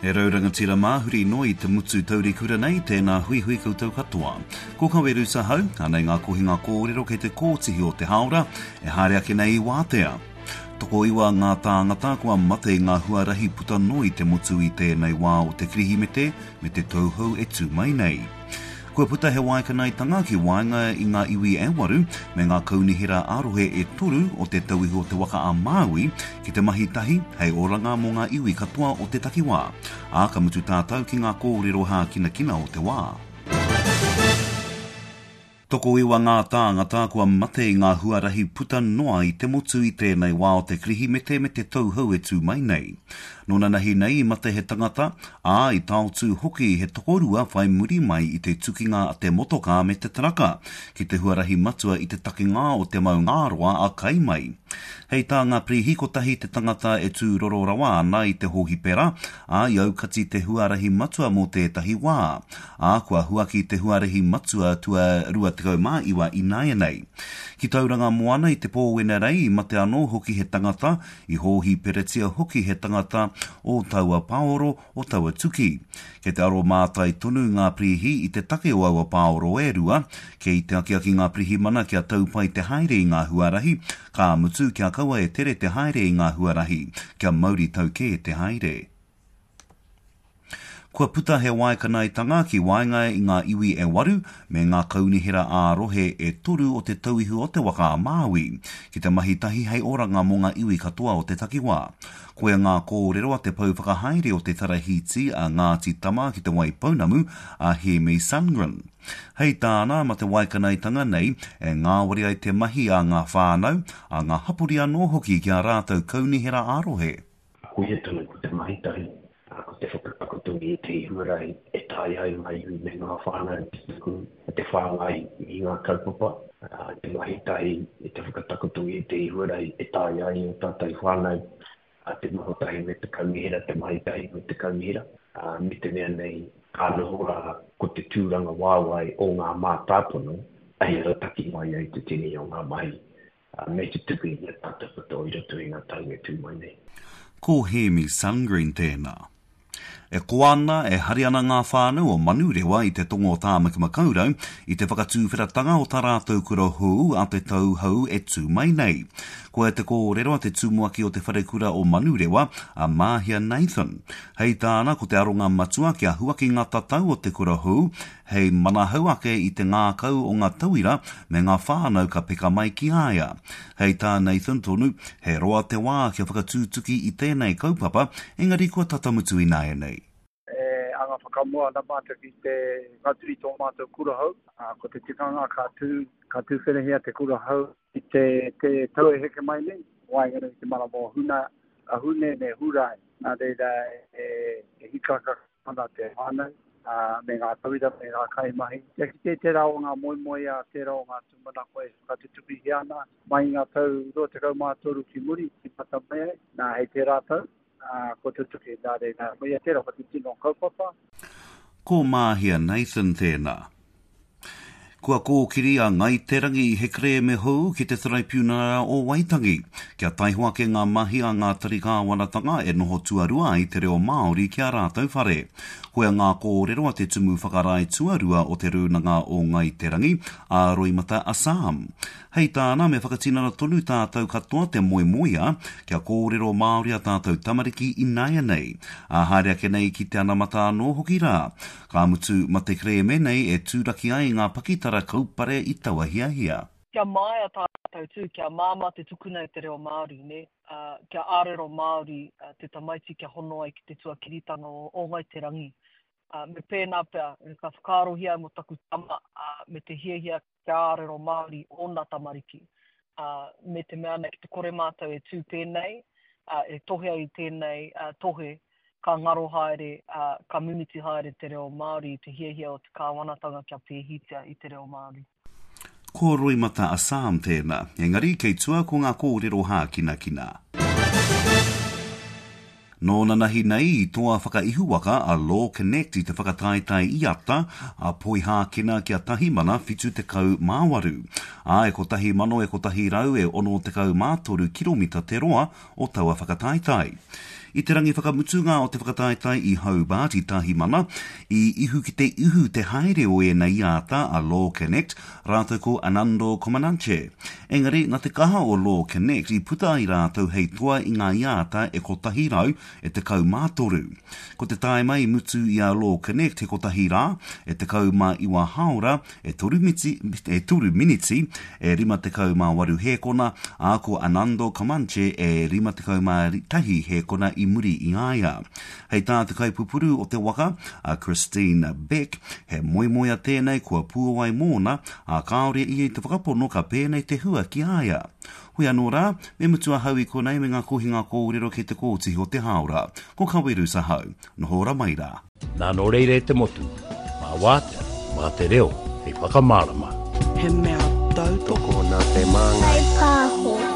E rau rangatira mā, huri noa i te motu taurikura nei, tēnā huihui koutou katoa. Ko Kaweru Sahau, anei ngā kohinga kōrero kei te kōtihi o te hāora, e haere ake nei i wātea. Tokoiwa ngā tāngata kua mate i ngā huarahi puta noa i te motu i tēnei wā o te Kirihimete me te tau hou e tū mai nei. Kua puta he waekanaetanga ki waenga i ngā iwi e waru me ngā kaunihera ā-rohe e toru o Te Tauihu o Te Waka a Māui ki te mahi tahi hei oranga mō ngā iwi katoa o te takiwā. Ā, ka mutu tātou ki ngā kōrero hākinakina o te wā. Tokoiwa ngā tāngata kua mate i ngā huarahi puta noa i te motu i tēnei wā o te Kirihimete me te tau hou e tū mai nei. Nō nanahi nei i mate he tangata, ā, i taotū hoki he tokorua whai muri mai i te tukinga a te motokā me te taraka ki te huarahi matua i te takinga o Te Maungāroa a Kaimai. Hei tā ngā pirihi kotahi te tangata e tūroro rawa ana i te hōhipera, ā, i aukati te huarahi matua mō tētahi wā. Ā, kua huaki te huarahi matua tua 29 ināianei. Ki Tauranga Moana i te pō Wenerei i mate anō hoki he tangata, i hōhiperatia hoki he tangata o taua paoro, o taua tuki. Kei te aro mātai tonu ngā pirihi i te take o aua paoro e rua, kei te akiaki ngā pirihimana kia tau pai te haere i ngā huarahi, ka mutu kia kaua e tere te haere i ngā huarahi, kia mauri tau kē te haere. Kua puta he waekanaetanga ki waenga i ngā iwi e waru me ngā kaunihera ā-rohe e toru o Te Tauihu o Te Waka a Māui ki te mahi tahi hei oranga mō ngā iwi katoa o te takiwā. Koia ngā kōrero a te pou whakahaere o te tarahiti a Ngāti Tama ki Te Waipounamu, a Hēmi Sundgren. Hei tāna, ma te waekanaetanga nei e ngāwari ai te mahi a ngā whānau, a ngā hapori anō hoki ki ā rātou kaunihera ā-rohe. Koia tonu ko te mahi tahi, ko te whakatakoto i ētahi huarahi e taea ai ngā iwi me ngā whānau te tuku, te whāngai i ngā kaupapa, te mahi tahi i te whakatakoto i ētahi huarahi e taea ai ō tātou whānau te noho tahi me te kaunihera, te mahi tahi me te kaunihera, me te mea nei ka noho rā ko te tūrangawaewae o ngā mātāpono hei arataki mai ai te tini o ngā mahi me te tuku i ngā tātou katoa i roto i ngā tau e tū mai nei. Ko Hēmi Sungreen tēnā. E koa ana, e hari ana ngā whānau o Manurewa i te tonga o Tāmaki Makaurau i te whakatūwheratanga o tā rātou kura hou a te tau hou e tū mai nei. Koia te kōrero a te tumuaki o te wharekura o Manurewa, a Māhia Nathan. Hei tāna, ko te aronga matua kia huaki ngā tatau o te kura hou hei manahau ake i te ngākau o ngā tauira me ngā whānau ka peka mai ki a ia. Hei tā Nathan tonu, he roa te wā kia whakatūtuki i tēnei kaupapa, engari kua tata mutu ināianei. E anga whakamua ana mātou ki te whakatū i tō mātou kura hou. Ko te tikanga ka tū, ka tūwherahia te kura hou i te, te tau e heke mai nei, waenganui i te marama o Huna, a Hune me Hurae. Nā reira e, e hikaka ana te whānau, ā, me ngā tauira, me ngā kaimahi. Kia kite tērā o ngā moemoeā, tērā o ngā tūmanako e whakatutukihia ana mai i ngā tau 23 ki muri, i mata mai ai, nā, hei tērā tau, ā, kua tutuki. Nā reira, koia tērā ko te tino kaupapa. Ko Māhia Nathan tēnā. Kua kōkiri a Ngāi Te Rangi i he kerēme hou ki te Taraipiunara o Waitangi, kia taiho ake ngā mahi a ngā tari kāwanatanga e noho tuarua ai te reo Māori ki ā rātou whare. Koia ngā kōrero a te Tumu Whakarae Tuarua o Te Rūnanga o Ngāi Te Rangi, a Roimata Assam. Hei tāna, me whakatinana tonu tātou katoa te moemoeā kia kōrero Māori ā tātou tamariki ināianei, ā haere ake nei ki te anamata anō hoki rā. Ka mutu, ma te kerēme nei e tūraki ai ngā pakitara kaupare i taua hiahia. Kia māia tātou tū, kia māmā te tukuna i te reo Māori, nē, ā, kia ārero Māori te tamaiti kia hono ai ki te tuakiritanga o, o Ngāi Te Rangi. Ā, me pēnā pea, ka whakaarohia mō taku tama, ā, me te hiahia kia ārero Māori ōna tamariki, ā, me te mea nei ki te kore mātou e tū pēnei, ā, e tohea i tēnei tohe, ka ngaro haere, ā, ka mimiti haere te reo Māori i te hiahia o te kāwanatanga kia pēhitia i te reo Māori. Ko Roimata Assam tēnā, engari kei tua ko ngā kōrero hākinakina. Nō nanahi nei i toa whakaihuwaka a Law Connect i te whakataetae IATA a Poihākena kia tahimana 78, ā, e kotahi mano e kotahi rau e 63 kiromita te roa o taua whakataetae. I te rangi whakamutunga o te whakataetae i Hobart i Tahimana, i ihu ki te ihu te haere o ēnei iāta a Law Connect rātou ko Anando Comananche. Engari, nā te kaha o Law Connect i puta ai rātou hei toa i ngā iāta e 100 e 13. Ko te tāima i mutu i a Law Connect he kotahi rā, e 19 hāora, e toru miti, e toru miniti, e 58 hēkona, ā, ko Anando Comanche e 51 hēkona i muri i a ia. Hei tā te kaipupuru o te waka, a Christine Beck, he moemoea tēnei kua puawai mōna, ā, kāore ia i te whakapono ka pēnei te hua ki a ia. Hoi anō rā, me mutu ahau i konei me ngā kohinga kōrero kei te kōtihi o te hāora. Ko Kawerus ahau. Noho ora mai rā. Nā nō reira e te motu, mā wātea, mā te reo hei whakamārama. He mea tautoko. Tokona te māngai. Whaipāho.